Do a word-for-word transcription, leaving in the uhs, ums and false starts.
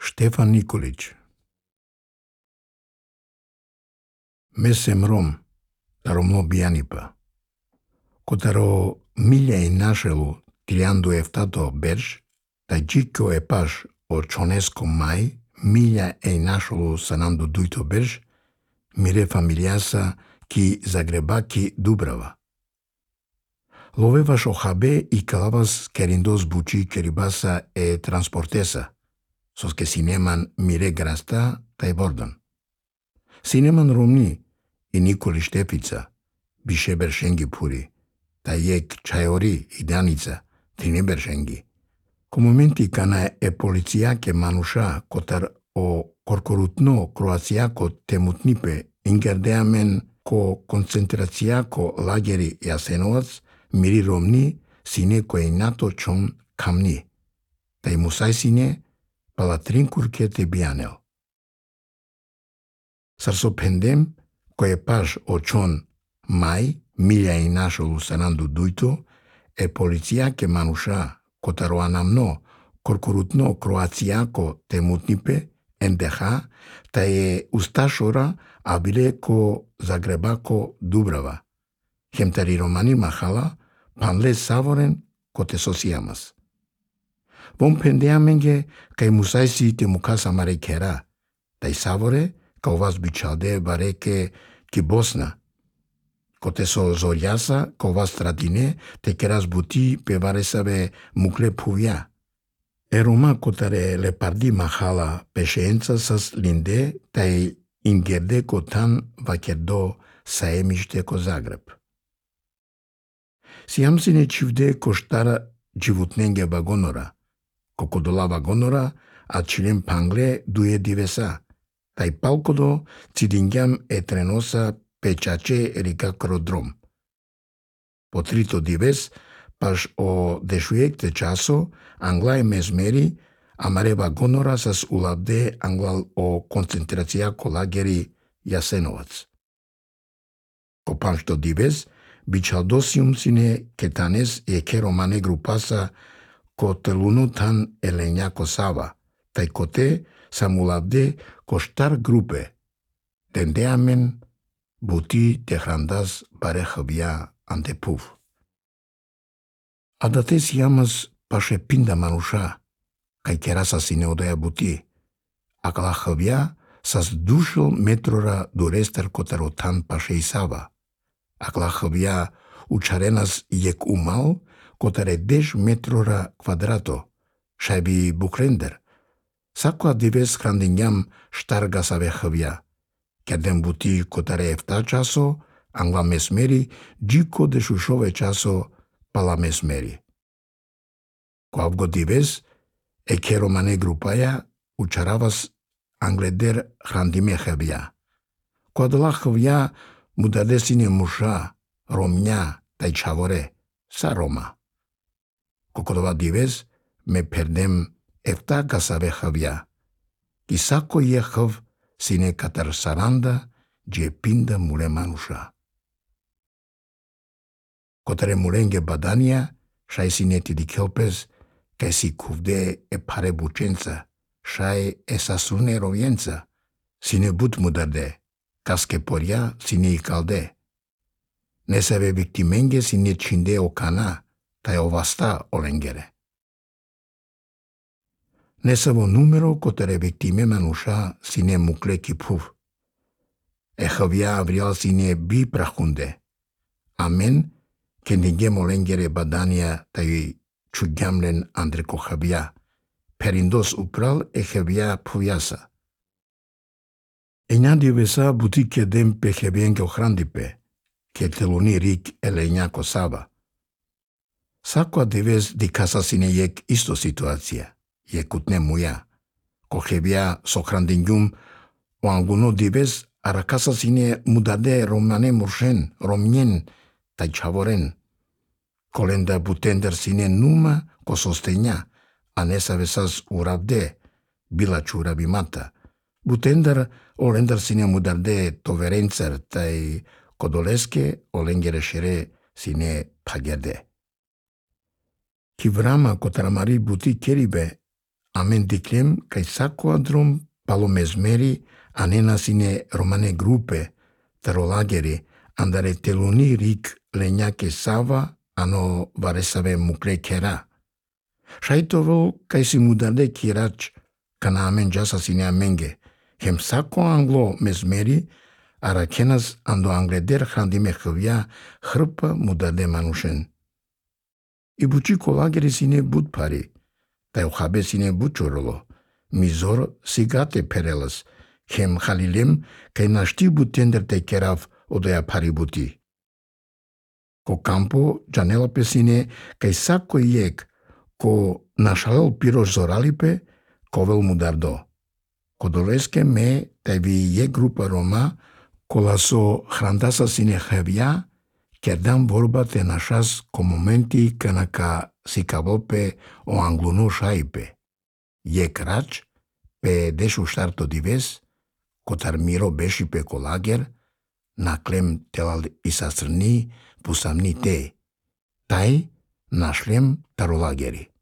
Ștefan Nikolić. Mesem Rom, Ромно Бијанипа. Котаро милја и нашелу трианду ефтато берш, та джико е паш о чонеско мај, милја е нашелу сананду дујто берш, мире фамилијаса ки Загребаки Дубрава. Ловеваш охабе и калавас кериндос бучи керибаса е транспортеса, сос ке синеман мире граста тај бордан. Синеман Ромни и Николи Штефица, бише бершенги пури, та ек чајори и Даница, трине бершенги. Ко моменти кана е полицијаке мануша котар о коркорутно кроацијако темутнипе ингердеамен ко концентрацијако лагери Јасеновац, мири Ромни сине кој нато чон камни, та и мусај сине палатрин курке те бијанел. Сарсо пендем кој е паш о чон мај, милја и нашолу сананду дујто, е полицијаке мануша котаро анамно коркорутно кроацијако темутнипе ен де ха, та е усташора а биле ко Загребако Дубрава. Хемтари романи махала, панле саворен ко те сосијамас. Вон пендеаменге кај мусајси те мукаса маре кера, тај саворе као вас бичалде бареке ки Босна. Коте со зорјаса, као вас традине, те керас бути певаресаве мукле пувја. Е рома котаре лепарди махала пешеенца сас линде, тај ингерде котан вакердо саемиште ко Загреб. Сијамсине чивде коштара дживутненге вагонора, кокодола вагонора, а чилен пангле дуе дивеса, тај палкодо цидингјам е треноса печаче рика кродром. По трито дивес, паш о дешуекте часо, англа е мезмери, амаре вагонора сас улавде англал о концентрација лагери Јасеновац. Ко паншто дивес, бичалдосиум сине кетанес е ке романе групаса ко телуно тан еленјако сава, тај коте сам улавде ко штар групе, дендеамен бути техрандас баре хавја антепув. А да те сијамас паше пинда мануша, кај кераса сине одеја бути, а кала хавја сас душел метрора до рестар котаро тан паше и сава, а кала хавја учаренас јек умал, котаре деш метрора квадрато, шајби бухлендер, сакоа дивес храндињам штарга саве хавја, керден бути котаре ефта часо, англа месмери, джико дешушове часо, пала месмери. Коавго дивес, е ке романе групаја, учаравас англедер храндиме хавја. Коадала хавја му даде сине муша, ромња, тај чаворе, са рома. Кокодова дивес, ме пердем ефта гасаве хавја, ки сако е хав сине катар саранда, дже пинда муле мануша. Котаре муленге баданија, шај сине ти дикелпес, кај си кувде е паре бученца, шај е сасуне ровјенца, сине бут му даде, каске порја сине и калде. Не саве виктименге сине чинде окана, тај оваста оленгере. Не саво нумеро котаре виктиме мануша сине мукле кипув. Е хавја авриал сине би прахунде. А мен, кендинге моленгере баданија тај чуѓамлен андреко хавја. Периндос упрал е хавја пувјаса. Ења дивеса бути кедем пе хевенге охрандипе, ке телуни рик еленјако сава. Сакоа дивес ди каса сине јек исто ситуација, јекутне муја. Ко хевја со храндињум, о ангуно дивес, аракаса сине му даде романе муршен, ромњен, тај чаворен. Коленда бутендер сине нума ко состења, а не саве сас уравде, била чура бимата. Бутендер олендар сине му даде товеренцер, тај кодолеске оленгере шере сине пагерде. Ки врама котарамари бути керибе, Amen declem cae saquadrum palomesmeri anena sine Romane gruppe tarolageri andare teluni ric legnace sava ano varesave mucre cera. Shaitovel cae si mudade cirac cana amen jasa sine amenge, hem saco anglo mesmeri aracenas ando angleder handime chavia hrpa mudade manushen. Ibuci colageri sine budpari, tae uchabe sine buciorolo, mizor sigate perelas, hem halilem cae nashti butender te cerav odea paributi. Co campo janela pesine cae saco iec, co nashalel piros zoralipe, covel mudardo. Codolesque me tae vi iec grupa Roma, colaso hrandasa sine chavia, cerdam vorba te nashas comomenti canaca sicavope o angluno shaipe. Iec rac, pe desu starto dives, cotar miro beshi pe colager, naclem telal isasrni pusamni te, tai nashlem tarolageri.